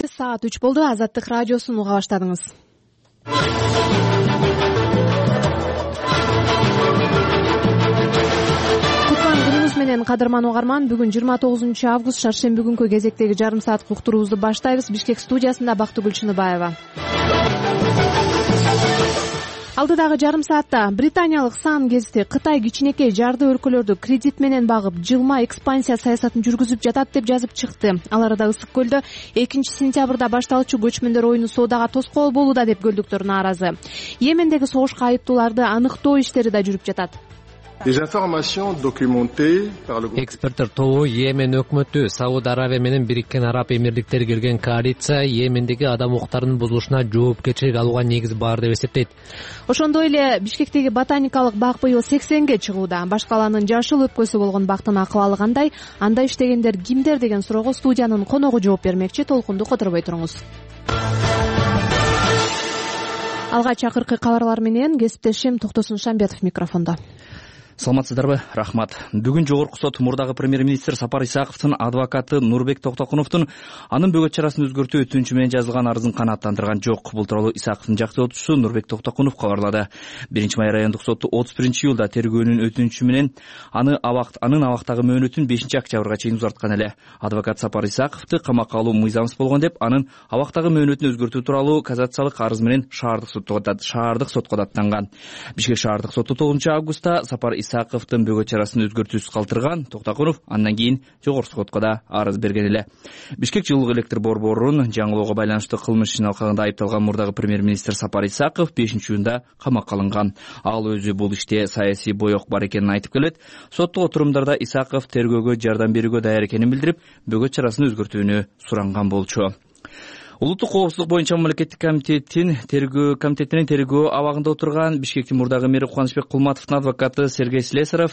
Саат 3 болду. Азаттык радиосун уга баштадыңыз. Кутлан күнүңүз менен, кадырман угарман. Бүгүн 29 август шаршемби күнкү кезектеги жарым саат уктуруубузду баштайбыз. Бишкек студиясында Бактыгүл Чыныбаева. Алдыдагы жарым саатта британиялык сан гезити Кытай кичинекей жарды өлкөлөрдү кредит менен багып, жылма экспансия саясатын жүргүзүп жатат деп жазып чыкты. Ал арада Ысык көлдө 2-сентябрда башталчу көчмөндөр оюну соодага тоскоол болууда деп көлдүктөр нааразы. Йемендеги согушка айыптууларды аныктоо иштери да жүрүп жатат. Эксперттер тобу Йемен өкмөтү Сауд Арабия менен Бириккен Араб Эмирликтери кирген коалиция Йемендеги адам укуктарынын бузулушуна жоопкерчилик алууга негиз бар деп эсептейт. Ошондой эле Бишкектеги ботаникалык бак быйыл 80ге чыгууда. Баш калаанын жашыл өпкөсү болгон бактын акыбалы кандай? Анда иштегендер кимдер деген суроого студиянын коногу жооп бермекчи. Толкунду которбой туруңуз. Алгач акыркы кабарлар менен кесиптешим Токтосун Шамбетов микрофондо. Саламатсыздарбы? Рахмат. Бүгүн Жогорку сот мурдагы премьер-министр Сапар Исаковдун адвокаты Нурбек Токтокуновдун анын бөгөт чарасын өзгөртүү өтүнүчү менен жазылган арызын канааттандырган жок. Бул тууралуу Исаковдун жактоочусу Нурбек Токтокунов кабарлады. 1-май райондук соту 31-июлда тергөөнүн өтүнүчү менен анын абактагы мөөнөтүн 5-октябрга чейин узарткан эле. Адвокат Сапар Исаковду камакка алуу мыйзамсыз болгон деп анын абактагы мөөнөтүн өзгөртүү тууралуу кассациялык арыз менен шаардык сотко даттанган. Бишкек шаардык соту 9-августта Сапар Исаковдун бөгөт чарасын өзгөртүүсүз калтырган. Токтокунов андан кийин жогорку сотко да арыз берген эле. Бишкек жылуулук электр борборун жаңылоого байланыштуу кылмыш ишин алкагында айыпталган мурдагы премьер-министр Сапар Исаков 5-июнда камакка алынган. Ал өзү бул иште саясий боек бар экенин айтып келет. Соттук отурумдарда Исаков тергөөгө жардам берүүгө даяр экенин билдирип, бөгөт чарасын өзгөртүүнү суранган болчу. Улуттук коопсуздук боюнча мамлекеттик комитетинин тергөө абагында отурган Бишкектин мурдагы мэри Кубанычбек Кулматовдун адвокаты Сергей Слесарев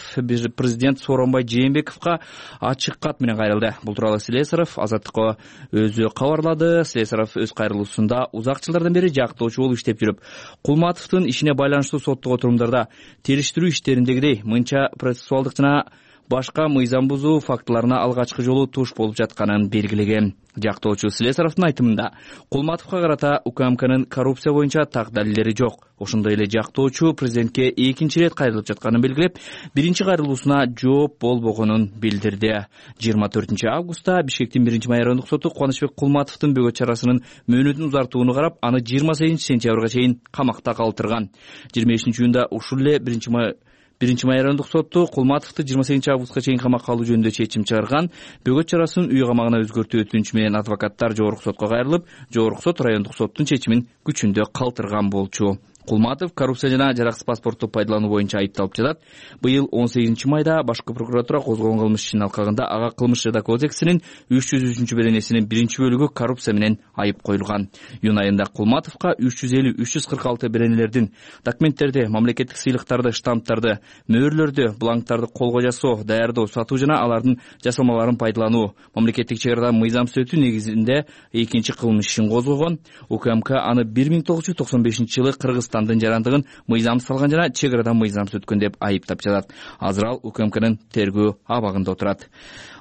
президент Сооронбай Жээнбековго ачык кат менен кайрылды. Бул тууралуу Слесарев Азаттыкка өзү кабарлады. Слесарев өз кайрылуусунда узак жылдардан бери жактоочу болуп иштеп жүрүп, Кулматовдун ишине байланыштуу соттук отурумдарда териштирүү иштериндегидей мынча процессуалдык жана башка мыйзам бузуу фактыларына алгачкы жолу туш болуп жатканын белгилеген. Жактоочу Слесаровдун айтымында Кулматовго карата УКМКнын коррупция боюнча так далилдери жок. Ошондой эле жактоочу президентке экинчи ирет кайрылып жатканын белгилеп, биринчи кайрылуусуна жооп болбогонун билдирди. 24-августта Бишкектин 1-май райондук соту Кубанычбек Кулматовдун бөгөт чарасынын мөөнөтүн узартууну карап, аны 28-сентябрга чейин камакта калтырган. 25-июнда ушул эле 1-май райондук соту Кулматовду 28-августка чейин камакка алуу жөнүндө чечим чыгарган. Бөгөт чарасын үй камагына өзгөртүү өтүнүчү менен адвокаттар жогорку сотко кайрылып, жогорку сот райондук соттун чечимин күчүндө калтырган болчу. Кулматов коррупция жана жараксыз паспортту пайдалануу боюнча айыпталып жатат. Быйыл 18-майда башкы прокуратура козгогон кылмыш ишинин алкагында ага кылмыш жаза кодексинин 303 беренесинин 1-бөлүгү коррупция менен айып коюлган. Июнь айында Кулматовго 350-346 беренелердин документтерди, мамлекеттик сыйлыктарды, штамптарды, мөөрлөрдү, бланктарды колго жасоо, даярдоо, сатуу жана алардын жасалмаларын пайдалануу, мамлекеттик чек арадан мыйзамсыз өтүү негизинде экинчи кылмыш ишин козгогон. УКМК аны 1995-жылы Кыргызстандын жарандыгын мыйзамсыз салган жана чек арадан мыйзамсыз өткөн деп айыптап жатат. Азыр ал УКМКнын тергөө абагында отурат.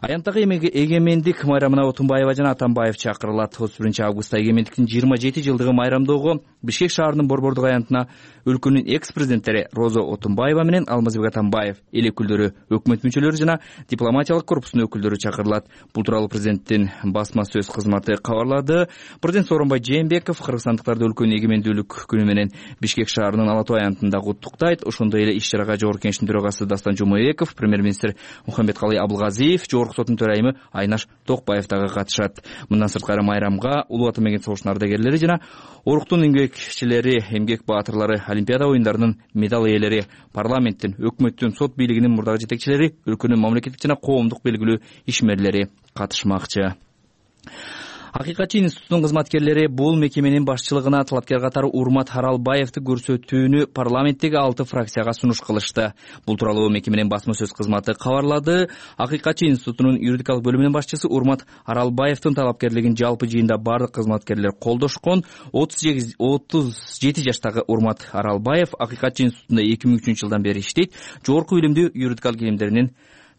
Аянттагы эгемендик майрамына Отунбаева жана Атамбаев чакырылат. 31-августта эгемендиктин 27 жылдыгы майрамдоого Бишкек шаарынын борбордук аянтына өлкөнүн экс-президенттери Роза Отунбаева менен Алмазбек Атамбаев, эл өкүлдөрү, өкмөт мүчөлөрү жана дипломатиялык корпустун өкүлдөрү чакырылат. Бул тууралуу президенттин басма сөз кызматы кабарлады. Президент Сооронбай Жээнбеков кыргызстандыктарды өлкөнүн эгемендүүлүк күнү менен Бишкек шаарынын Ала Тоо аянтында куттуктайт. Ошондой эле иш-чарага Жогорку Кеңештин төрагасы Дастан Жумабеков, премьер-министр Мухаммедкалый Абылгазиев, Жогорку соттун төрайымы Айнаш Токбаев дагы катышат. Мындан сырткары майрамга Улуу Ата мекен согушунун ардагерлери жана оруктун эмгекчилери, эмгек баатырлары, Олимпиада оюндарынын медаль ээлери, парламенттин, өкмөттүн, сот бийлигинин мурдагы жетекчилери, өлкөнүн мамлекеттик жана коомдук белгилүү ишмерлери катышмакчы. Акыйкатчы институтунун кызматкерлери бул мекеменин башчылыгына талапкер катары Урмат Аралбаевди көрсөтүүнү парламенттеги 6 фракцияга сунуш кылышты. Бул тууралуу мекеменин басма сөз кызматы кабарлады. Акыйкатчы институтунун юридикалык бөлүмүнүн башчысы Урмат Аралбаевдин талапкерлигин жалпы жыйында бардык кызматкерлер колдошкон. 37 жаштагы Урмат Аралбаев Акыйкатчы институтунда 2003 жылдан бери иштейт. Жогорку билимдүү юридикалык илимдеринин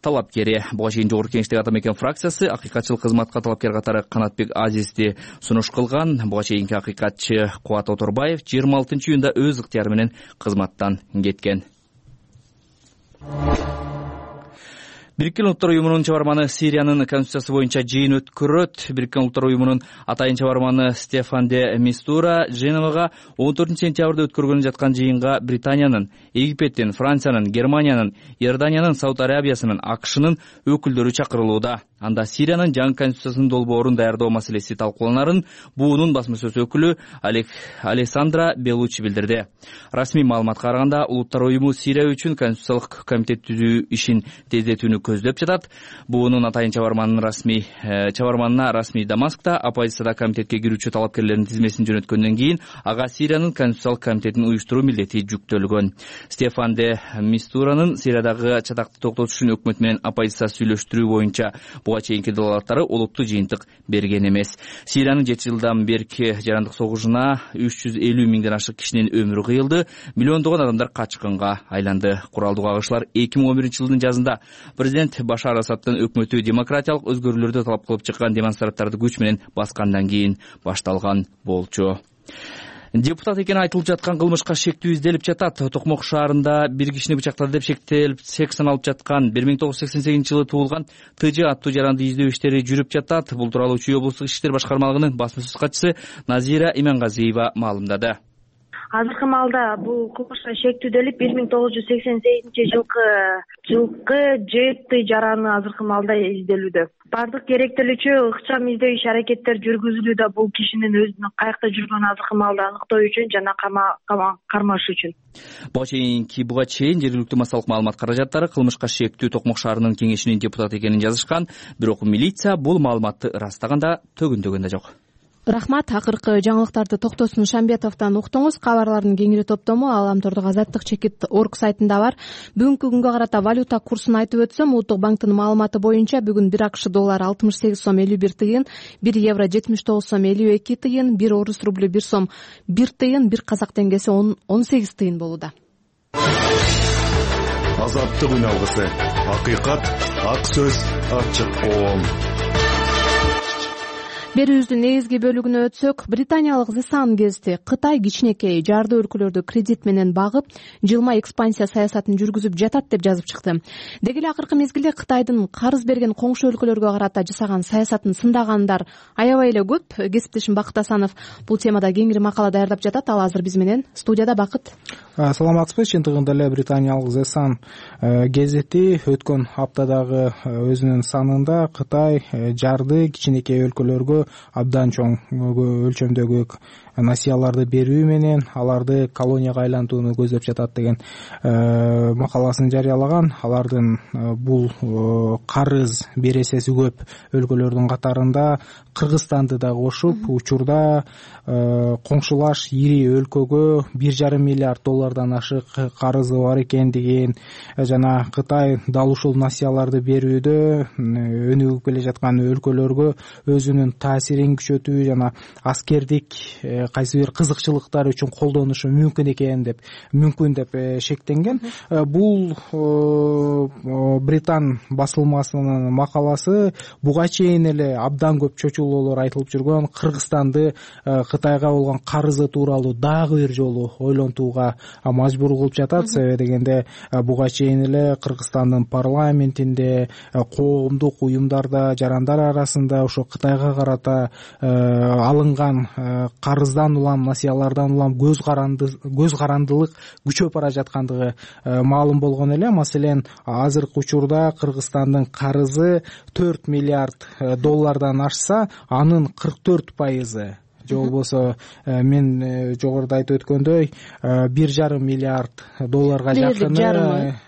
талапкери. Буга чейин Жогорку Кеңештеги ата мекен фракциясы акыйкатчыл кызматка талапкер катары Канатбек Азизди сунуш кылган. Буга чейинки акыйкатчы Кубат Оторбаев 26-июнда өз ыктыяры менен кызматтан кеткен. Бириккен Улуттар Уюмунун чыгарманы Сириянын конституциясы боюнча жыйын өткөрөт. Бириккен Улуттар Уюмунун атайын чыгарманы Стефан де Мистура Женевага 14-сентябрда өткөргөнү жаткан жыйынга Британиянын, Египеттин, Франциянын, Германиянын, Иорданиянын, Сауд Арабиясынын, АКШнын өкүлдөрү чакырылууда. Анда Сириянын жаңы конституциясынын долбоорун даярдоо маселеси талкууланарын буунун басма сөз өкүлү Алессандра Белучи билдирди. Расмий маалыматка караганда, Улуттар Уюму Сирия үчүн конституциялык комитет түзүү ишин тездетүүнү көздөп жатат. Буунун атайын чыгарманына расмий Дамаскта оппозицияда комитетке кирүүчү талапкерлердин тизмесин жөнөткөндөн кийин ага Сириянын конституциялык комитетин уюштуруу милдети жүктөлгөн. Стефан де Мистуранын Сириядагы чатакты токтотуш үчүн өкмөт менен оппозиция сүйлөштүрүү боюнча буга чейинки далаалаттары олуттуу жыйынтык берген эмес. Сириянын 7 жылдан берки жарандык согушуна 350 миңден ашык кишинин өмүрү кыйылды, миллиондогон адамдар качкынга айланды. Куралдуу кагышуулар 2011-жылдын жазында президент Башар Асаддын өкмөтү демократиялык өзгөрүүлөрдү талап кылып чыккан демонстранттарды күч менен баскандан кийин башталган болчу. Депутат экени айтылып жаткан кылмышка шектүү изделип жатат. Токмок шаарында бир кишини бычактады деп шек саналып жаткан 1988-жылы туулган ТЖ аттуу жаранды издөө иштери жүрүп жатат. Бул тууралуу Чүй облустук Ички иштер башкармалыгынын басма сөз катчысы Назира Имангазиева маалымдады. Азыркы маалда бул кылмышка шектүү делип 1988-жылкы жетти жараны азыркы маалда изделүүдө. Бардык керектелүүчү ыкчам издөө иш аракеттер жүргүзүлүүдө бул кишинин өзүнүн каякта жүргөнүн азыркы маалда аныктоо үчүн жана кармаш үчүн. Буга чейин жергиликтүү массалык маалымат каражаттары кылмышка шектүү Токмок шаарынын кеңешинин депутаты экенин жазышкан, бирок милиция бул маалыматты ырастаганда төгүндөгөн да жок. Рахмат. Акыркы жаңылыктарды Токтосун Шамбетовдон уктуңуз. Кабарлардын кеңири топтому Аламтордук Азаттык чекит орг сайтында бар. Бүгүнкү күнгө карата валюта курсун айтып өтсөм, Улуттук банктын маалыматы боюнча бүгүн 1 АКШ доллары 68 сом 51 тыйын, 1 евро 79 сом 52 тыйын, 1 орус рублю 1 сом 1 тыйын, 1 казак теңгеси 18 тыйын болууда. Азаттык үналгысы. Акыйкат, ак сөз, ачык коом. Берүүбүздүн негизги бөлүгүнө өтсөк, британиялык The Sun гезити Кытай кичинекей жарды өлкөлөрдү кредит менен багып, жылма экспансия саясатын жүргүзүп жатат деп жазып чыкты. Деги эле акыркы мезгилде Кытайдын карыз берген коңшу өлкөлөргө карата жасаган саясатын сындагандар аябай эле көп. Кесиптешим Бакыт Асанов бул темада кеңири макала даярдап жатат. Ал азыр биз менен студияда. Бакыт. Саламатсызбы? Чындыгында эле британиялык The Sun гезити өткөн аптадагы өзүнүн санында Кытай жарды кичинекей өлкөлөргө абдан чоң өлчөмдөгү насыяларды берүү менен аларды колонияга айлантууну көздөп жатат деген макаласын жарыялаган. Алардын бул карыз бересеси көп өлкөлөрдүн катарында Кыргызстанды да кошуп, учурда коңшулаш ири өлкөгө 1,5 миллиард доллардан ашык карызы бар экендигин жана Кытай дал ушул насыяларды берүүдө өнүгүп келе жаткан өлкөлөргө өзүнүн таасирин күчөтүү жана аскердик кайсы бир кызыкчылыктар үчүн колдонушу мүмкүн деп шектенген. Бул Британ басылмасынын макаласы. Буга чейин эле абдан көп чочулоолор айтылып жүргөн Кыргызстанды Кытайга болгон карызы тууралуу дагы бир жолу ойлонтууга мажбур кылып жатат. Себеби дегенде буга чейин эле Кыргызстандын парламентинде, коомдук уюмдарда, жарандар арасында ошо Кытайга карата алынган карыздан улам, насыялардан улам көз карандылык күчөп бара жаткандыгы маалым болгон эле. Маселен, азыркы учурда Кыргызстандын карызы 4 миллиард доллардан ашса, анын 44% же болбосо мен жогоруда айтып өткөндөй 1,5 миллиард долларга жакыны,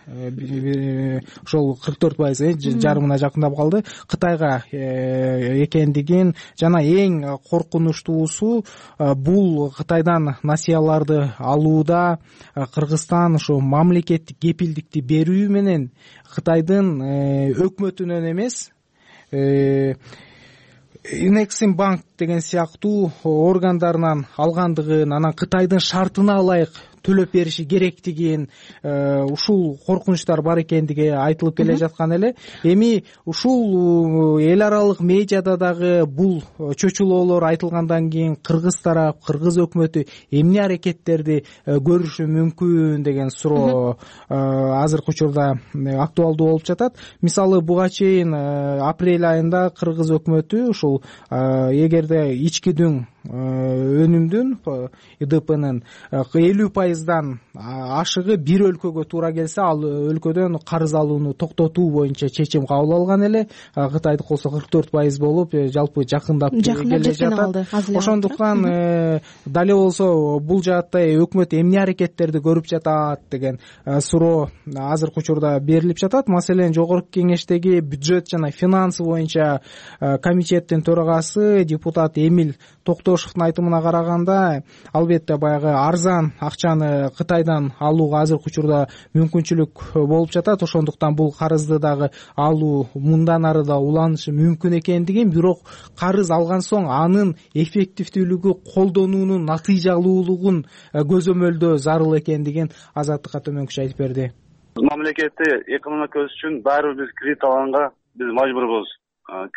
ошол 44% жарымына жакындап калды, Кытайга экендигин жана эң коркунучтуусу бул Кытайдан насыяларды алууда Кыргызстан ошо мамлекеттик кепилдикти берүү менен Кытайдын өкмөтүнөн эмес, Инексим банк деген сыяктуу органдарынан алгандыгын, анан Кытайдын шартына ылайык төлөп бериши керектигин, ушул коркунучтар бар экендиги айтылып келе жаткан эле. Эми ушул эл аралык медиада дагы бул чочулоолор айтылгандан кийин кыргыз тарап, кыргыз өкмөтү эмне аракеттерди көрүшү мүмкүн деген суроо азыркы учурда актуалдуу болуп жатат. Мисалы буга чейин апрель айында кыргыз өкмөтү ушул эгерде ички дүң өнүмдүн ИДПнын 50% ашыгы бир өлкөгө туура келсе, ал өлкөдөн карыз алууну токтотуу боюнча чечим кабыл алган эле. Кытайдыкы болсо 44% болуп, жалпы жакындап келе жатат. Ошондуктан дали болсо бул жаатта өкмөт эмне аракеттерди көрүп жатат деген суроо азыркы учурда берилип жатат. Маселен, жогорку кеңештеги бюджет жана финансы боюнча комитеттин төрагасы депутат Эмиль Токтошевдун айтымына караганда, албетте баягы арзан акчаны Кытайдан алууга азыркы учурда мүмкүнчүлүк болуп жатат. Ошондуктан бул карызды дагы алуу мындан ары да уланышы мүмкүн экендигин, бирок карыз алган соң анын эффективдүүлүгү, колдонуунун натыйжалуулугун көзөмөлдөө зарыл экендигин Азаттыкка төмөнкүчө айтып берди. Мамлекетти экономика өсүш үчүн баары бир биз кредит алганга биз мажбурбуз.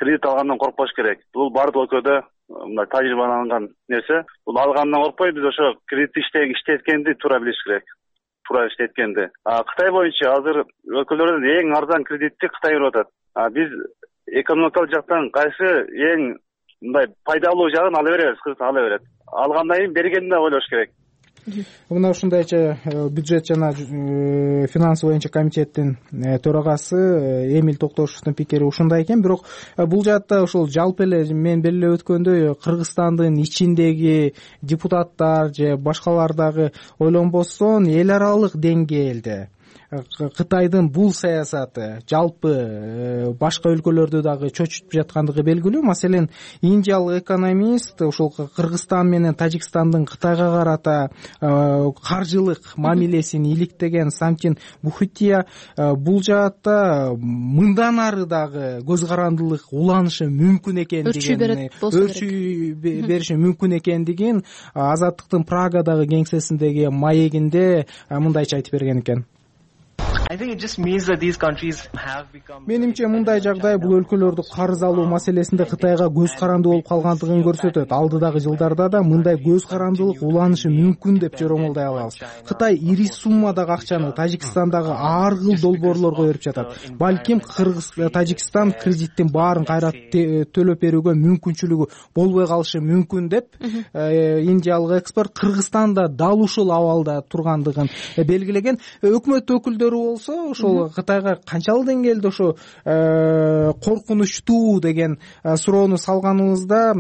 Кредит алгандан коркпош керек. Бул бардык өлкөдө мындай тажрыйбаланган нерсе. Бул алгандан коркпой, биз ошо кредитти иштеткенди туура билиш керек. Туура иштеткенди. Кытай боюнча азыр өлкөлөрдөн эң арзан кредитти Кытай берип атат. Биз экономикалык жактан кайсы эң мындай пайдалуу жагын ала беребиз, Кыргыз ала берет. Алгандан кийин бергенди да ойлош керек. Мына ушундайча бюджет жана финансы боюнча комитеттин төрагасы Эмиль Токтошевдун пикири ушундай экен. Бирок бул жаатта ошол жалпы эле мен белгилеп өткөндөй Кыргызстандын ичиндеги депутаттар же башкалар дагы ойлонбостон эл аралык деңгээлде Кытайдын бул саясаты жалпы башка өлкөлөрдү дагы чочутуп жаткандыгы белгилүү. Маселен, индиялык экономист ушул Кыргызстан менен Тажикстандын Кытайга карата каржылык мамилесин иликтеген Самтин Бухутия бул жаатта мындан ары дагы көз карандылык уланышы мүмкүн экендигин, өрчүй бериши мүмкүн экендигин Азаттыктын Прагадагы кеңсесиндеги маегинде мындайча айтып берген экен. Менимче мындай жагдай бул өлкөлөрдү карыз алуу маселесинде Кытайга көз карандуу болуп калгандыгын көрсөтөт. Алдыдагы жылдарда да мындай көз карандылык уланышы мүмкүн деп жоромолдой алабыз. Кытай ири суммадагы акчаны Тажикстандагы ар кыл долбоорлорго берип жатат. Балким Тажикстан кредиттин баарын кайра төлөп берүүгө мүмкүнчүлүгү болбой калышы мүмкүн деп индиялык эксперт Кыргызстанда дал ушул абалда тургандыгын белгилеген. Өкмөт өкүлдөрү болсо ошол Кытайга канчалык деңгээлде ошо коркунучтуу деген суроону салганыбызда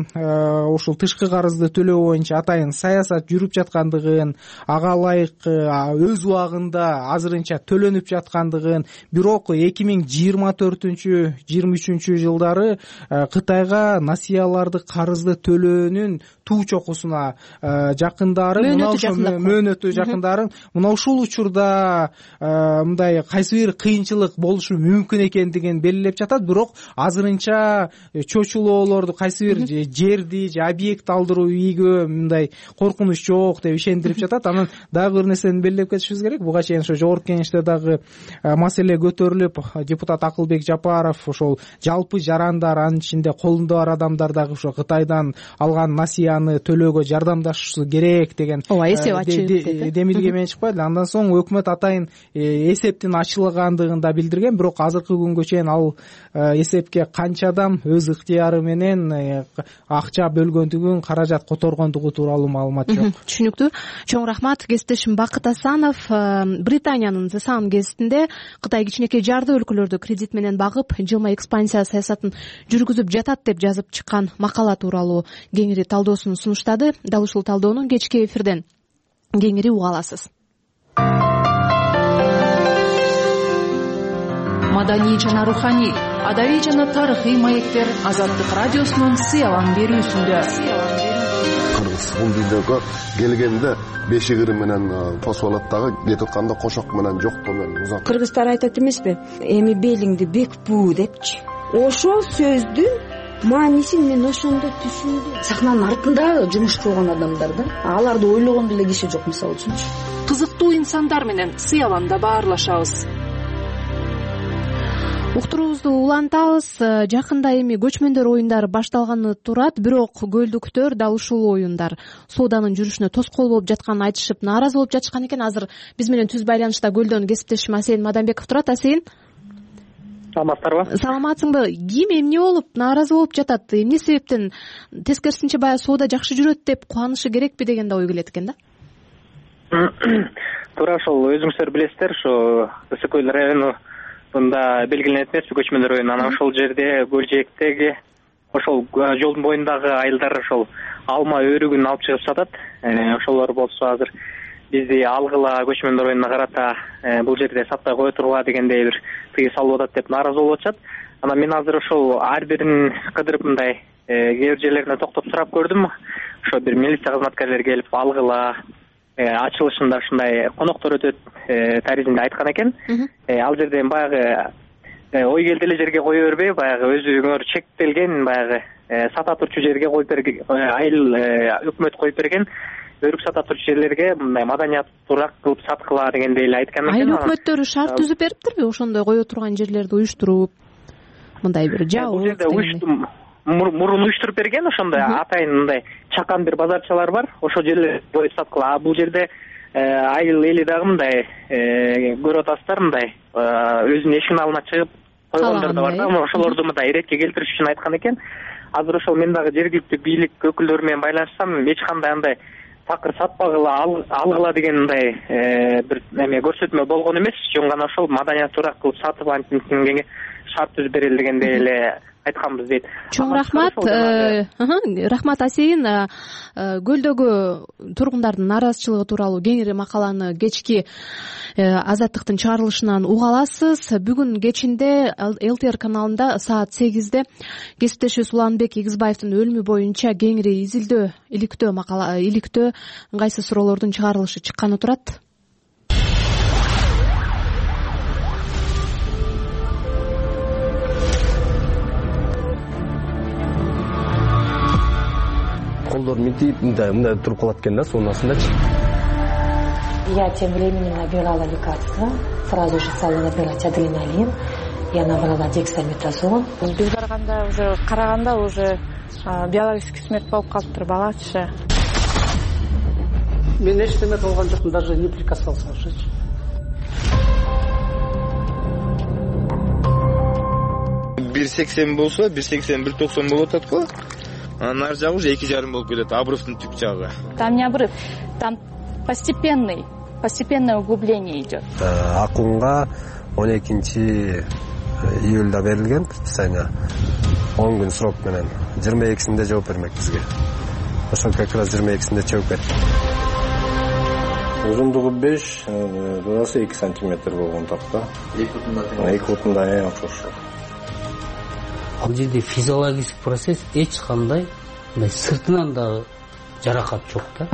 ошол тышкы карызды төлөө боюнча атайын саясат жүрүп жаткандыгын, ага ылайык өз убагында азырынча төлөнүп жаткандыгын, бирок 2024-23 жылдары Кытайга насыяларды, карызды төлөөнүн туу чокусуна жакындары, мөөнөтү жакындарын мына ушул учурда мындай кайсы бир кыйынчылык болушу мүмкүн экендигин белгилеп жатат. Бирок азырынча чочулоолорду, кайсы бир жерди же объект алдыруу ийгө мындай коркунуч жок деп ишендирип жатат. Анан дагы бир нерсени белгилеп кетишибиз керек. Буга чейин ошо жогорку кеңеште дагы маселе көтөрүлүп, депутат Акылбек Жапаров ошол жалпы жарандар, анын ичинде колунда бар адамдар дагы ошо Кытайдан алган насыяны төлөөгө жардамдашышы керек деген демилге менен чыкпайдыл. Андан соң өкмөт атайын эсептин ачылгандыгын да билдирген. Бирок азыркы күнгө чейин ал эсепке канчадан өз ыктыяры менен акча бөлгөндүгүн, каражат которгондугу тууралуу маалымат жок. Түшүнүктүү. Чоң рахмат. Кесиптешим Бакыт Асанов Британиянын The Sun гезитинде Кытай кичинекей жарды өлкөлөрдү кредит менен багып, жылма экспансия саясатын жүргүзүп жатат деп жазып чыккан макала тууралуу кеңири талдоосун сунуштады. Дал ушул талдоону кечки эфирден кеңири уга аласыз. Маданий жана руханий, адабий жана тарыхый маектер Азаттык радиосунун сыялан берүүсүндө. Кыргыз бул видеого келгенде бешигири менен тосуп алат дагы, кетип атканда кошок менен жоктоо менен узат. Кыргыздар айтат эмеспи? Эми белиңди бек буу депчи. Ошол сөздү маанисин мен ошондо түшүндүм. Сахнанын артында жумуш кылган адамдар да, аларды ойлогон деле киши жок, мисалы үчүнчү. Кызыктуу инсандар менен сый аланда баарлашабыз. Уктуруубузду улантабыз. Жакында эми көчмөндөр оюндары башталганы турат, бирок көлдүктөр дал ушул оюндар сооданын жүрүшүнө тоскоол болуп жатканын айтышып, нааразы болуп жатышкан экен. Азыр биз менен түз байланышта Көлдөн кесиптешим Асейин Мадамбеков турат. Асейин, саламатсыздарбы? Саламатсыңбы? Ким эмне болуп нааразы болуп жатат? Эмне себептен? Тескерисинче баягы соода жакшы жүрөт деп кубанышы керекпи деген да ой келет экен да. Туура, ошол өзүңүздөр билесиздер, ушу Ысык Көл району мында белгиленет эмеспи көчмөндөр оюну. Анан ошол жерде көл жээктеги ошол жолдун боюндагы айылдар ошол алма өрүгүн алып чыгып сатат. Ошолор болсо азыр бизди алгыла көчмөндөр оюнуна карата бул жерде сатпай кое тургула дегендей бир тыюу салып атат деп нааразы болуп атышат. Анан мен азыр ошол ар бирин кыдырып мындай кээ бир жерлерине токтоп сурап көрдүм. Ошо бир милиция кызматкерлери келип алгыла ачылышында ушундай коноктор өтөт таризинде айткан экен. Ал жерден баягы ой келди эле жерге кое бербей, баягы өзүңөр чектелген баягы сата турчу жерге коюп берген, айыл өкмөт коюп берген өрүк сата турчу жерлерге мындай маданиятуураак кылып саткыла дегендей эле айткан экен. Айыл өкмөттөрү шарт түзүп бериптирби ошондой кое турган жерлерди уюштуруп, мындай бир жабык? Бул жерде мурун уюштуруп берген, ошондой атайын мындай чакан бир базарчалар бар, ошол жерлер коюп саткыла. А бул жерде айыл эли дагы мындай көрүп атасыздар, мындай өзүнүн эшигинин алдына чыгып койгондар да бар да, ошолорду мындай иретке келтириш үчүн айткан экен. Азыр ошол мен дагы жергиликтүү бийлик өкүлдөрү менен байланышсам, эч кандай андай такыр сатпагыла, алгыла деген мындай бир эме көрсөтмө болгон эмес. Жөн гана ошол маданиятуураак кылып сатып антингенге шарт түзүп берели дегендей эле айтканбыз дейт. Чоң рахмат. Рахмат Асейин. Көлдөгү тургундардын нааразычылыгы тууралуу кеңири макаланы кечки Азаттыктын чыгарылышынан уга аласыз. Бүгүн кечинде ЛТР каналында саат 8-де кесиптешибиз Уланбек Игизбаевдин өлүмү боюнча кеңири изилдөө, иликтөө ыңгайсыз суроолордун чыгарылышы чыкканы турат. Колдор мынтип мындай туруп калат экен да, сонун астындачы. Я тем временем набирала лекарства, сразу же стала набирать адреналин, я набрала дексаметазон. Биз барганда уже караганда уже биологический смерть болуп калыптыр балачы. Мен эчтеме кылган жокмун, даже не прикасался уже. Бир 80 болсо, 180-190 болуп атат го. Анан ар жагы уже 2,5 болуп кетет, обрывдын түп жагы. Там не обрыв, там постепенное углубление идет. Акунга 12 июлда берилген предписание, 10 күн срок менен 22-синде жооп бермек бизге. Ошол как раз 22-синде чыгып кетти. Узундугу 5, донасы 2 сантиметр болгон такта. 2,5 окшош. Ал жерде физиологический процесс эч кандай сыртынан да жаракат жок да.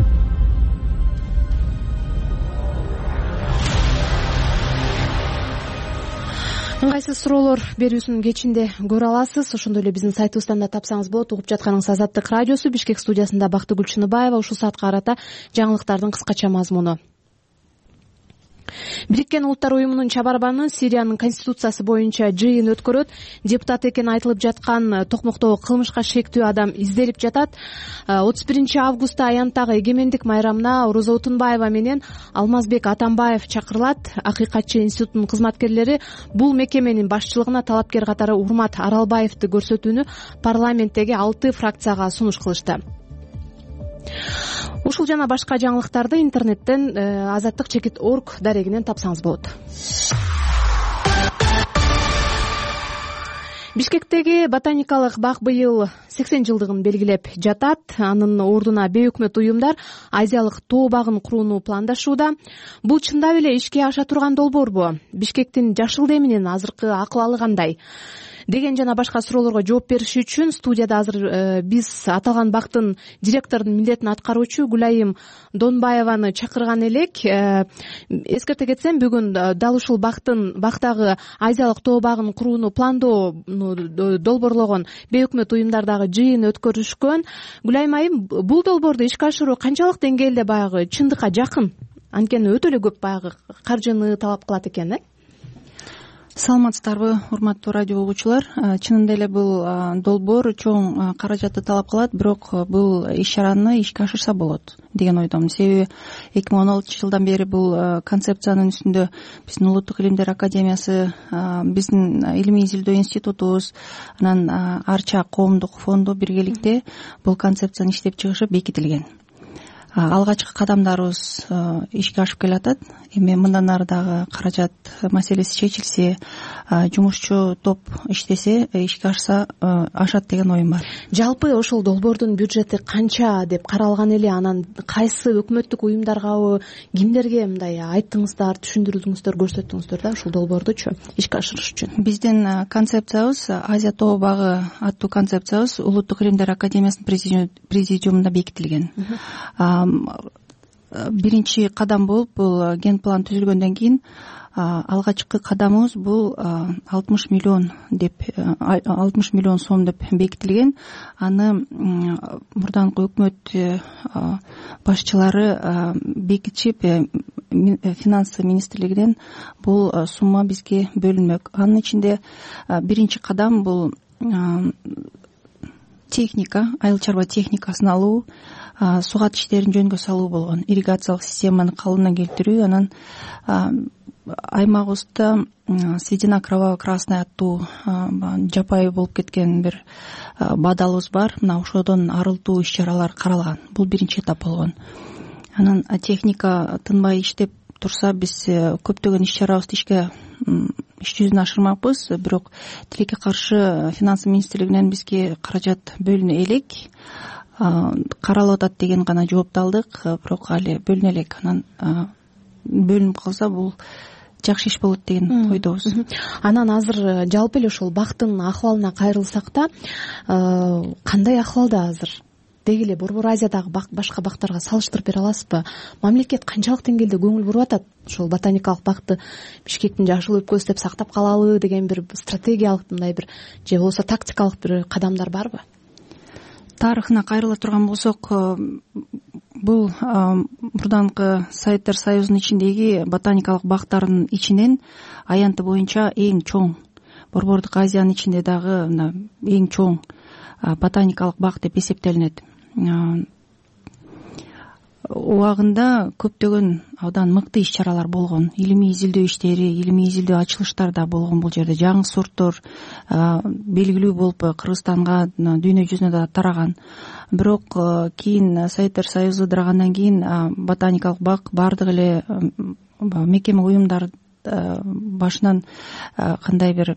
Ыңгайсыз суроолор берүүсүн кечинде көрө аласыз. Ошондой эле биздин сайтыбыздан да тапсаңыз болот. Угуп жатканыңыз Азаттык радиосу. Бишкек студиясында Бактыгүл Чыныбаева. Ушул саатка карата жаңылыктардын кыскача мазмуну. Бириккен Улуттар уюмунун чабарбаны Сириянын конституциясы боюнча жыйын өткөрөт. Депутат экени айтылып жаткан Токмоктогу кылмышка шектүү адам изделип жатат. 31 августта Аянттагы эгемендик майрамына Орозо Утунбаева менен Алмазбек Атамбаев чакырылат. Акыйкатчы институтунун кызматкерлери бул мекеменин башчылыгына талапкер катары Урмат Аралбаевди көрсөтүүнү парламенттеги 6 фракцияга сунуш кылышты. Ушул жана башка жаңылыктарды интернеттен azattik.org дарегинен тапсаңыз болот. Бишкектеги ботаникалык бак быйыл 80 жылдыгын белгилеп жатат. Анын ордуна бейөкмөт уюмдар Азиялык тоо багын курууну пландашууда. Бул чындап эле ишке аша турган долбоорбу? Бишкектин жашыл деминин азыркы акыбалы кандай? деген жана башка суроолорго жооп бериш үчүн студияда азыр биз аталган бактын директорунун милдетин аткаруучу Гүлайым Донбаеваны чакырган элек. Эскерте кетсем, бүгүн дал ушул бактагы Азиялык тоо багын курууну пландоону долбоорлогон бейөкмөт уюмдар дагы жыйын өткөрүшкөн. Гүлайым айым, бул долбоорду ишке ашыруу канчалык деңгээлде баягы чындыкка жакын? Анткени өтө эле көп баягы каржыны талап кылат экен. Саламатсыздарбы, урматтуу радио угуучулар. Чынында эле бул долбоор чоң каражатты талап кылат, бирок бул иш-чараны ишке ашырса болот деген ойдомун. Себеби 2016 жылдан бери бул концепциянын үстүндө биздин Улуттук илимдер академиясы, биздин илимий изилдөө институтубуз, анан Арча коомдук фонду биргеликте бул концепцияны иштеп чыгышып бекитилген. Алгачкы кадамдарыбыз ишке ашып келатат. Эми мындан ары дагы каражат маселеси чечилсе, жумушчу топ иштесе, ишке ашат деген оюм бар. Жалпы ошол долбоордун бюджети канча деп каралган эле? Анан кайсы өкмөттүк уюмдаргабы, кимдерге мындай айттыңыздар, түшүндүрдүңүздөр, көрсөттүңүздөр да ушул долбоордучу ишке ашырыш үчүн? Биздин концепциябыз, Азия тоо багы аттуу концепциябыз Улуттук илимдер академиясынын президиумунда бекитилген. Биринчи кадам болуп бул ген план түзүлгөндөн кийин алгачкы кадамыбыз бул 60 миллион сом деп бекитилген. Аны мурданкы өкмөт башчылары бекитишип, финансы министрлигинен бул сумма бизге бөлүнмөк. Анын ичинде биринчи кадам бул техника, айыл чарба техникасын алуу, сугат иштерин жөнгө салуу болгон, ирригациялык системаны калыбына келтирүү. Анан аймагыбызда Сведена кроваво-красная аттуу жапайы болуп кеткен бир бадалыбыз бар. Мына ошодон арылтуу иш-чаралар каралган. Бул биринчи этап болгон. Анан техника тынбай иштеп турса, биз көптөгөн иш-чарабызды иш жүзүнө ашырмакпыз. Бирок тилекке каршы финансы министрлигинен бизге каражат бөлүнө элек, каралып атат деген гана жоопту алдык, бирок али бөлүнө элек. Анан бөлүнүп калса бул жакшы иш болот деген ойдобуз. Анан азыр жалпы эле ошол бактын акыбалына кайрылсак да, кандай акыбалда азыр? Деги эле Борбор Азиядагы башка бактарга салыштырып бере аласызбы? Мамлекет канчалык деңгээлде көңүл буруп атат ошол ботаникалык бакты Бишкектин жашыл өлкөсү деп сактап калалы деген бир стратегиялык мындай бир же болбосо тактикалык бир кадамдар барбы? Тарыхына кайрыла турган болсок, бул мурданкы Советтер Союзунун ичиндеги ботаникалык бактардын ичинен аянты боюнча эң чоң, Борбордук Азиянын ичинде дагы эң чоң ботаникалык бак деп эсептелинет. Убагында көптөгөн абдан мыкты иш-чаралар болгон, илимий изилдөө иштери, илимий изилдөө ачылыштар да болгон бул жерде. Жаңы сорттор белгилүү болуп Кыргызстанга, дүйнө жүзүнө да тараган. Бирок кийин Советтер Союзу ыдырагандан кийин ботаникалык бак бардык эле мекеме уюмдар башынан кандай бир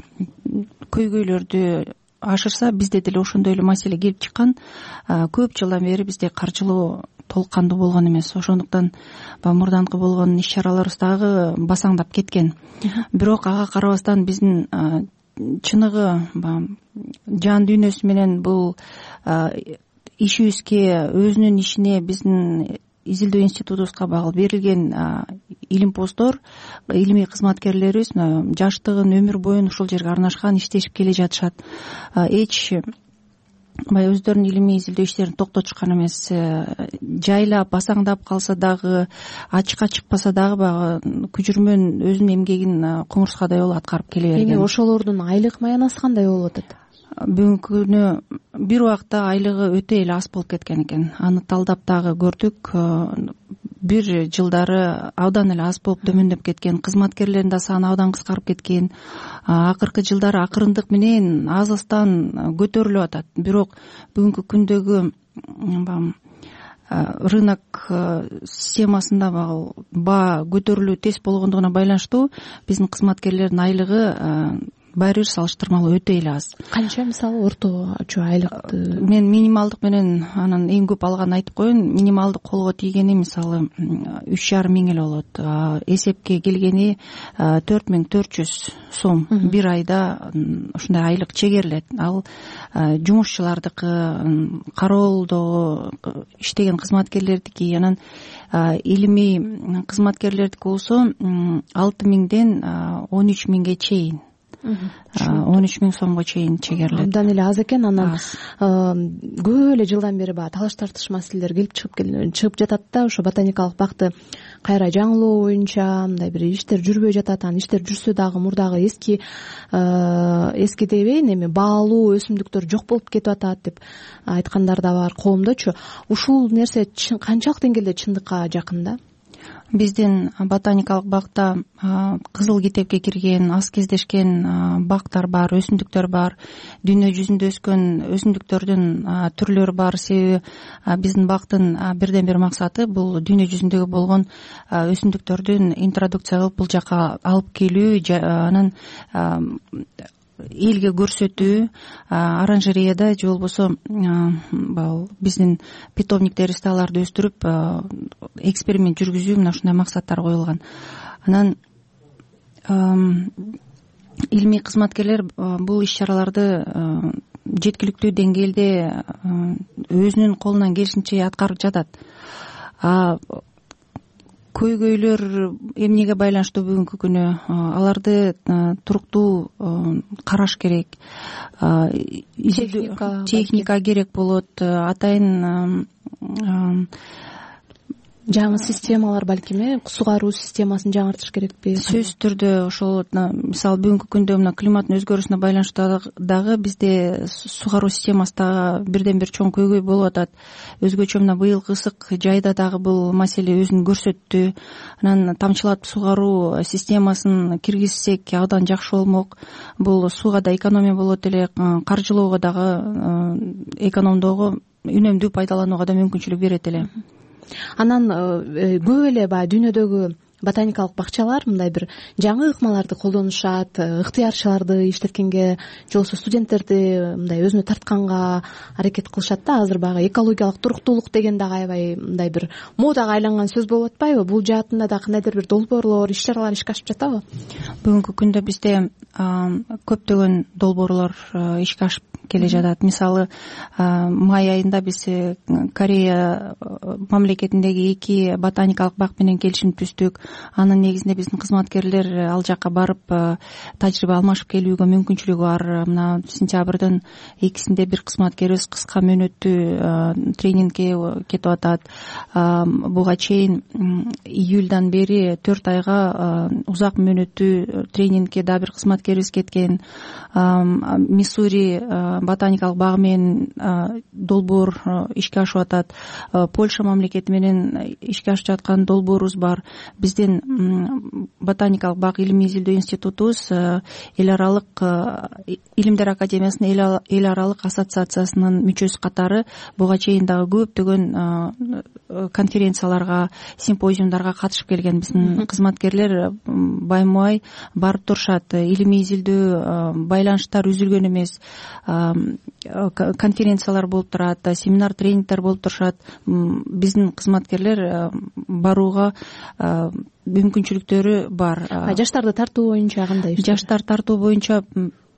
көйгөйлөрдү ашырса, бизде деле ошондой эле маселе келип чыккан. Көп жылдан бери бизде каржылоо толук кандуу болгон эмес. Ошондуктан мурданкы болгон иш-чараларыбыз дагы басаңдап кеткен. Бирок ага карабастан биздин чыныгы жан дүйнөсү менен бул ишибизге, өзүнүн ишине, биздин изилдөө институтубузга багыл берилген илимпоздор, илимий кызматкерлерибиз жаштыгын, өмүр боюн ушул жерге арнашкан, иштешип келе жатышат. Эч өздөрүнүн илимий изилдөө иштерин токтотушкан эмес. Жайлап, басаңдап калса дагы, ачыкка чыкпаса дагы баягы күжүрмөн өзүнүн эмгегин кумурскадай болуп аткарып келе берген. Эми ошолордун айлык маянасы кандай болуп атат? Бүгүнкү күнү бир убакта айлыгы өтө эле аз болуп кеткен экен. Аны талдап дагы көрдүк. Бир жылдары абдан эле аз болуп төмөндөп кеткен, кызматкерлердин да саны абдан кыскарып кеткен. Акыркы жылдары акырындык менен аз-аздан көтөрүлүп атат. Бирок бүгүнкү күндөгү рынок системасында баа көтөрүлүү тез болгондугуна байланыштуу биздин кызматкерлердин айлыгы баары бир салыштырмалуу өтө эле аз. Канча мисалы орточо айлыкты? Мен минималдык менен анан эң көп алганын айтып коеюн. Минималдык колго тийгени мисалы 3,5 миң эле болот. Эсепке келгени 4400 сом бир айда ушундай айлык чегерилет. Ал жумушчулардыкы, кароолдогу иштеген кызматкерлердики, анан илимий кызматкерлердики болсо 6 миңден 13 миңге чейин. 13 миң сомго чейин чегерилет. Абдан эле аз экен. Анан көп эле жылдан бери баягы талаш тартыш маселелер келип чыгып жатат да. Ошо ботаникалык бакты кайра жаңылоо боюнча мындай бир иштер жүрбөй жатат. Анан иштер жүрсө дагы мурдагы эски дебейин, эми баалуу өсүмдүктөр жок болуп кетип атат деп айткандар да бар коомдочу. Ушул нерсе канчалык деңгээлде чындыкка жакын да? Биздин ботаникалык бакта кызыл китепке кирген, аз кездешкен бактар бар, өсүмдүктөр бар. Дүйнө жүзүндө өскөн өсүмдүктөрдүн түрлөрү бар. Себеби биздин бактын бирден бир максаты бул дүйнө жүзүндөгү болгон өсүмдүктөрдүн интродукция кылып бул жака алып келүү, анан элге көрсөтүү, оранжереяда же болбосо биздин питомниктерибизде аларды өстүрүп эксперимент жүргүзүү, мына ушундай максаттар коюлган. Анан илимий кызматкерлер бул иш-чараларды жеткиликтүү деңгээлде өзүнүн колунан келишинче аткарып жатат. Көйгөйлөр эмнеге байланыштуу бүгүнкү күнү? Аларды туруктуу караш керек. Техника керек болот. Атайын жаңы системалар балким, сугаруу системасын жаңыртыш керекпи? Сөзсүз түрдө ошол мисалы бүгүнкү күндө мына климаттын өзгөрүүсүнө байланыштуу дагы бизде сугаруу системасы дагы бирден бир чоң көйгөй болуп атат. Өзгөчө мына быйылкы ысык жайда дагы бул маселе өзүн көрсөттү. Анан тамчылатып сугаруу системасын киргизсек абдан жакшы болмок. Бул сууга да экономия болот эле, каржылоого дагы экономдоого, үнөмдүү пайдаланууга да мүмкүнчүлүк берет эле. Анан көп эле баягы дүйнөдөгү ботаникалык бакчалар мындай бир жаңы ыкмаларды колдонушат, ыктыярчыларды иштеткенге, же болбосо студенттерди мындай өзүнө тартканга аракет кылышат да. Азыр баягы экологиялык туруктуулук деген дагы аябай мындай бир модага айланган сөз болуп атпайбы? Бул жаатында да кандайдыр бир долбоорлор, иш-чаралар ишке ашып жатабы? Бүгүнкү күндө бизде көптөгөн долбоорлор ишке ашып келе жатат. Мисалы, май айында биз Корея мамлекетиндеги 2 ботаникалык бак менен келишим түздүк. Анын негизинде биздин кызматкерлер ал жака барып тажрыйба алмашып келүүгө мүмкүнчүлүгү бар. Мына сентябрдын 2-синде бир кызматкерибиз кыска мөөнөттүү тренингге кетип атат. Буга чейин июльдан бери 4 айга узак мөөнөттүү тренингге да бир кызматкерибиз кеткен. Миссури ботаникалык багы менен долбоор ишке ашып атат. Польша мамлекети менен ишке ашып жаткан долбоорубуз бар. Биздин ботаникалык бак илимий изилдөө институтубуз эл аралык илимдер академиясынын эл аралык ассоциациясынын мүчөсү катары буга чейин дагы көптөгөн конференцияларга, симпозиумдарга катышып келген биздин кызматкерлер байма-бай барып турушат. Илимий изилдөө байланыштар үзүлгөн эмес. Конференциялар болуп турат, семинар, тренингдер болуп турушат. Биздин кызматкерлер барууга мүмкүнчүлүктөрү бар. Жаштарды тартуу боюнча кандай? Жаштар тартуу боюнча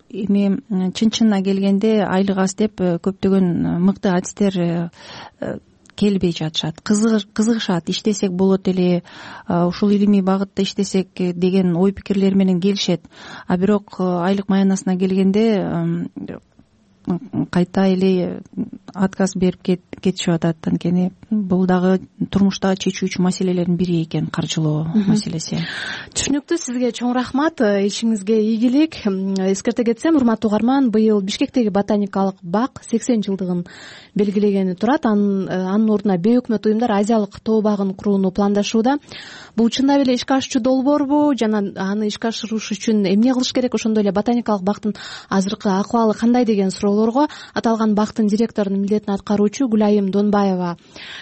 эми чын-чынына келгенде айлык аз деп көптөгөн мыкты адистер келбей жатышат. Кызыгышат, иштесек болот эле, ушул илимий багытта иштесек деген ой пикирлер менен келишет. А бирок айлык маянасына келгенде кайта эле отказ берип кетишип атат. Анткени бул дагы турмуштагы чечүүчү маселелердин бири экен, каржылоо маселеси. Түшүнүктүү. Сизге чоң рахмат. Ишиңизге ийгилик. Эскерте кетсем, урматтуу угарман, быйыл Бишкектеги ботаникалык бак 80 жылдыгын белгилегени турат. Анын ордуна бейөкмөт уюмдар Азиялык тоо багын курууну пландашууда. Бул чындап эле ишке ашуучу долбоорбу жана аны ишке ашырыш үчүн эмне кылыш керек? Ошондой эле ботаникалык бактын азыркы акыбалы кандай деген суроо суроолорго аталган бактын директорунун милдетин аткаруучу Гүлайым Донбаева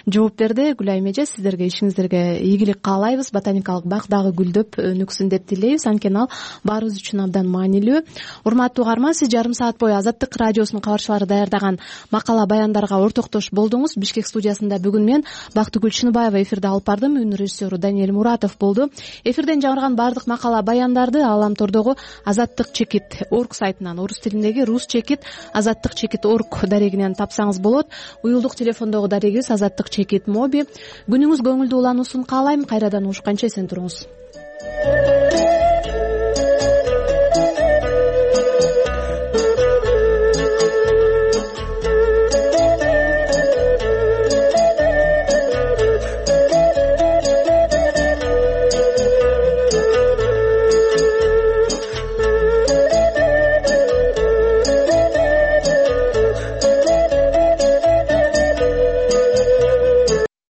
жооп берди. Гүлайым эже, сиздерге ишиңиздерге ийгилик каалайбыз. Ботаникалык бак дагы гүлдөп өнүксүн деп тилейбиз. Анткени ал баарыбыз үчүн абдан маанилүү. Урматтуу угарман, сиз жарым саат бою Азаттык радиосунун кабарчылары даярдаган макала баяндарга ортоктош болдуңуз. Бишкек студиясында бүгүн мен Бактыгүл Чыныбаева эфирде алып бардым. Үн режиссеру Даниэль Муратов болду. Эфирден жаңырган баардык макала баяндарды Ааламтордогу Азаттык чекит орг сайтынан, орус тилиндеги рус чекит Азаттык чекит орг дарегинен тапсаңыз болот. Уюлдук телефондогу дарегибиз Азаттык чекит моби. Күнүңүз көңүлдүү улануусун каалайм. Кайрадан угушканча эсен туруңуз.